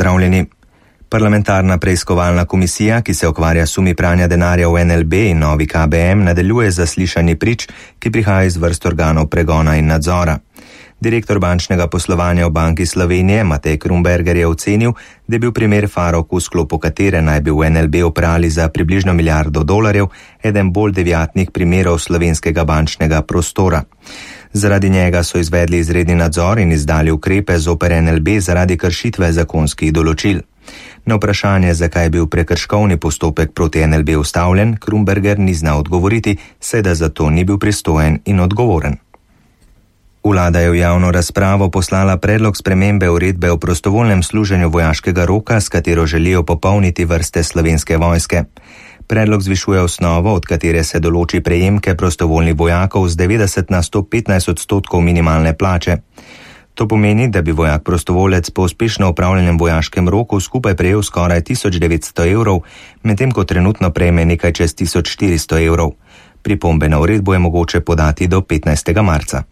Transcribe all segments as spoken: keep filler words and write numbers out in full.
pozdravljeni. Parlamentarna preiskovalna komisija, ki se ukvarja s sumi pranja denarja v N L B in novi K B M, nadaljuje zaslišanje prič, ki prihaja iz vrst organov pregona in nadzora. Direktor bančnega poslovanja v Banki Slovenije Matej Krumberger je ocenil, da je bil primer Farok, v sklopu katere naj bi v N L B oprali za približno milijardo dolarjev, eden bolj deviatnih primerov slovenskega bančnega prostora. Zaradi njega so izvedli izredni nadzor in izdali ukrepe zoper N L B zaradi kršitve zakonskih določil. Na vprašanje, zakaj je bil prekrškovni postopek proti N L B ustavljen, Krumberger ni znal odgovoriti, saj da za to ni bil pristojen in odgovoren. Vlada je v javno razpravo poslala predlog spremembe uredbe o prostovoljnem služenju vojaškega roka, s katero želijo popolniti vrste Slovenske vojske. Predlog zvišuje osnovo, od katere se določi prejemke prostovoljnih vojakov z devetdeset na sto petnajst odstotkov minimalne plače. To pomeni, da bi vojak prostovolec po uspešno opravljenem vojaškem roku skupaj prejel skoraj tisoč devetsto evrov, medtem ko trenutno prejme nekaj čez tisoč štiristo evrov. Pripombe na uredbo je mogoče podati do petnajstega marca.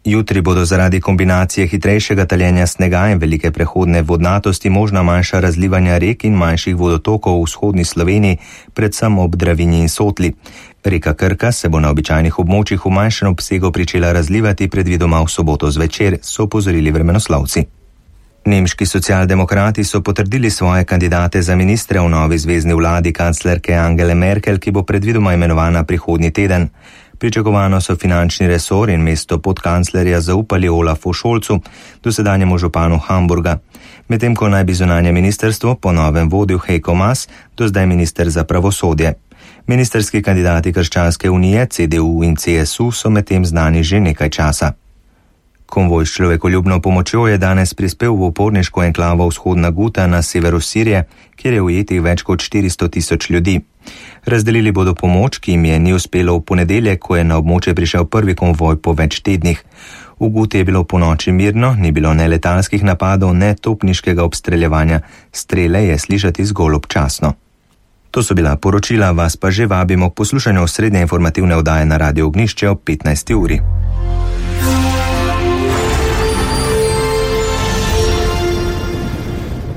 Jutri bodo zaradi kombinacije hitrejšega taljenja snega in velike prehodne vodnatosti možna manjša razlivanja rek in manjših vodotokov v vzhodni Sloveniji, predvsem ob Dravinji in Sotli. Reka Krka se bo na običajnih območjih v manjšem obsegu pričela razlivati predvidoma v soboto zvečer, so opozorili vremenoslovci. Nemški socialdemokrati so potrdili svoje kandidate za ministre v novi zvezni vladi kanclerke Angele Merkel, ki bo predvidoma imenovana prihodnji teden. Pričakovano so finančni resor in mesto podkanclerja zaupali Olafu Scholzu, dosedanjemu županu Hamburga. Medtem ko naj bi zunanje ministrstvo po novem vodil Heiko Maas, do zdaj minister za pravosodje. Ministrski kandidati Krščanske unije, C D U in C S U so medtem znani že nekaj časa. Konvoj s človekoljubno pomočjo je danes prispel v uporniško enklavo Vzhodna Guta na severu Sirije, kjer je ujetih več kot štiristo tisoč ljudi. Razdelili bodo pomoč, ki jim je ni uspelo v ponedeljek, ko je na območje prišel prvi konvoj po več tednih. V Guti je bilo po noči mirno, ni bilo ne letalskih napadov, ne topniškega obstreljevanja, strele je slišati zgolj občasno. To so bila poročila, vas pa že vabimo k poslušanju osrednje informativne oddaje na Radio Ognjišče ob petnajsti uri.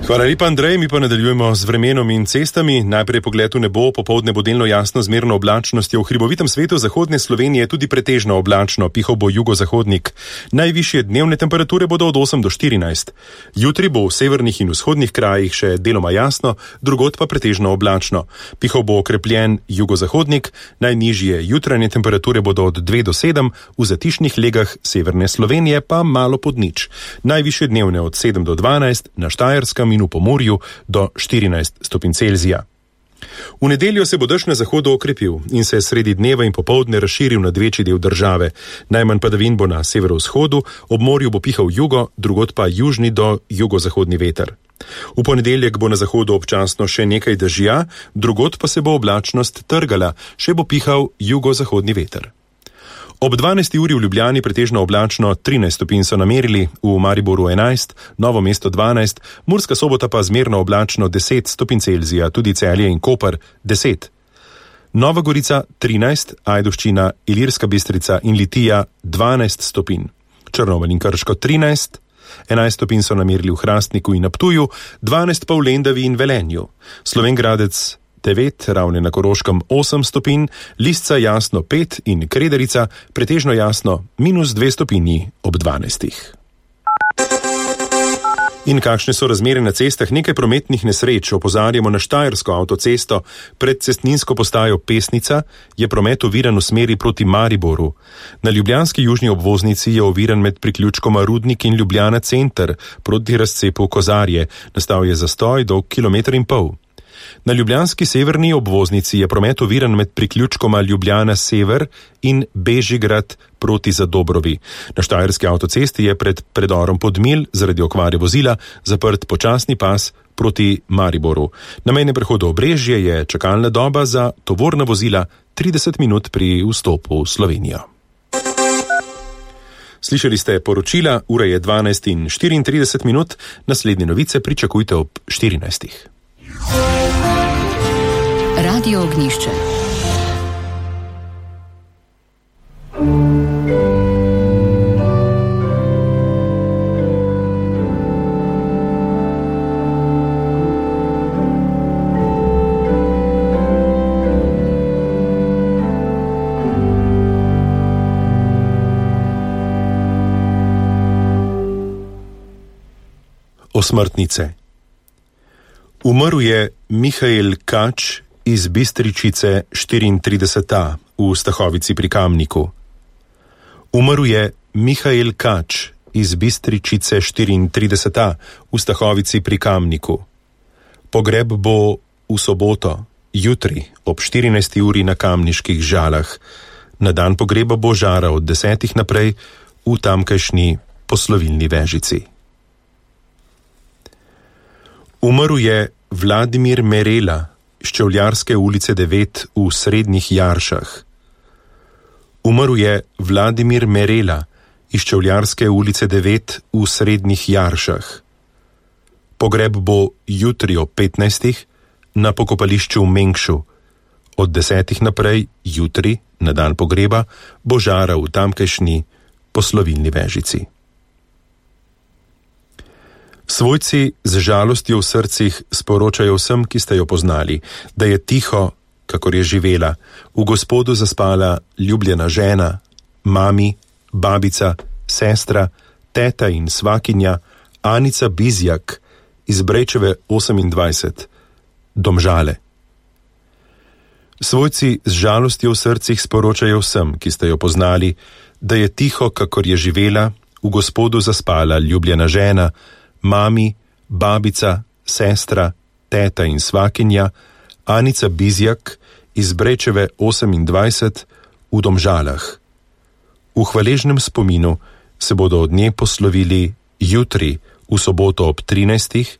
Hvala lepa, Andrej, mi pa nadaljujemo z vremenom in cestami. Najprej pogled v nebo, popoldne bo delno jasno zmerno oblačnostjo. V hribovitem svetu zahodne Slovenije tudi pretežno oblačno, pihal bo jugozahodnik. Najvišje dnevne temperature bodo od osem do štirinajst. Jutri bo v severnih in vzhodnih krajih še deloma jasno, drugod pa pretežno oblačno. Pihal bo okrepljen jugozahodnik, najnižje jutranje temperature bodo od dve do sedem, v zatišnih legah severne Slovenije pa malo pod nič. Najvišje dnevne od sedem do dvanajst, na Štajerskem in v Pomorju do štirinajst stopinj Celzija. V nedeljo se bo dež na zahodu okrepil in se sredi dneva in popoldne razširil na večji del države. Najmanj padavin bo na severovzhodu, ob morju bo pihal jugo, drugod pa južni do jugozahodni veter. V ponedeljek bo na zahodu občasno še nekaj dežja, drugod pa se bo oblačnost trgala, še bo pihal jugozahodni veter. Ob dvanajsti uri v Ljubljani pretežno oblačno, trinajst stopinj so namerili, v Mariboru enajst, Novo mesto dvanajst, Murska Sobota pa zmerno oblačno deset stopinj Celzija, tudi Celje in Koper deset. Nova Gorica trinajst, Ajdovščina, Ilirska Bistrica in Litija dvanajst stopinj. Črnomelj in Krško trinajst, enajst stopinj so namerili v Hrastniku in na Ptuju, dvanajst pa v Lendavi in Velenju. Slovenj Gradec devet, Ravne na Koroškem osem stopinj, Lisca jasno pet in Krederica pretežno jasno minus dve stopinji ob dvanajstih. In kakšne so razmere na cestah? Nekaj prometnih nesreč. Opozarjamo na Štajersko avtocesto. Pred cestninsko postajo Pesnica je promet oviran v smeri proti Mariboru. Na ljubljanski južni obvoznici je oviran med priključkoma Rudnik in Ljubljana center proti razcepu Kozarje. Nastal je zastoj dolg kilometer in pol. Na ljubljanski severni obvoznici je promet oviran med priključkoma Ljubljana sever in Bežigrad proti Zadobrovi. Na Štajerski avtocesti je pred predorom Podmilj zaradi okvare vozila zaprt počasni pas proti Mariboru. Na mejnem prehodu Obrežje je čakalna doba za tovorna vozila trideset minut pri vstopu v Slovenijo. Slišali ste poročila, ura je dvanajst in štiriintrideset minut, naslednje novice pričakujte ob štirinajstih. Radio Ognjišče. Osmrtnice. Umrl je Mihael Kač iz Bistričice štiriintrideset A v Stahovici pri Kamniku. Umrl je Mihael Kač iz Bistričice štiriintrideset A v Stahovici pri Kamniku. Pogreb bo v soboto, jutri ob štirinajsti uri na Kamniških Žalah. Na dan pogreba bo žara od desetih naprej v tamkajšnji poslovilni vežici. Umrl je Vladimir Merela iz Čevljarske ulice devet v Srednjih Jaršah. Umrl je Vladimir Merela iz Čevljarske ulice devet v Srednjih Jaršah. Pogreb bo jutri ob petnajstih na pokopališču v Mengšu. Od desetih naprej, jutri, na dan pogreba, bo žara v tamkajšnji poslovilni vežici. Svojci z žalostjo v srcih sporočajo vsem, ki ste jo poznali, da je tiho, kakor je živela, v Gospodu zaspala ljubljena žena, mami, babica, sestra, teta in svakinja Anica Bizjak iz Brejčeve osemindvajset, Domžale. Svojci z žalostjo v srcih sporočajo vsem, ki ste jo poznali, da je tiho, kakor je živela, v Gospodu zaspala ljubljena žena, mami, babica, sestra, teta in svakinja Anica Bizjak iz Brejčeve osemindvajset v Domžalah. V hvaležnem spominu se bodo od nje poslovili jutri, v soboto ob trinajstih,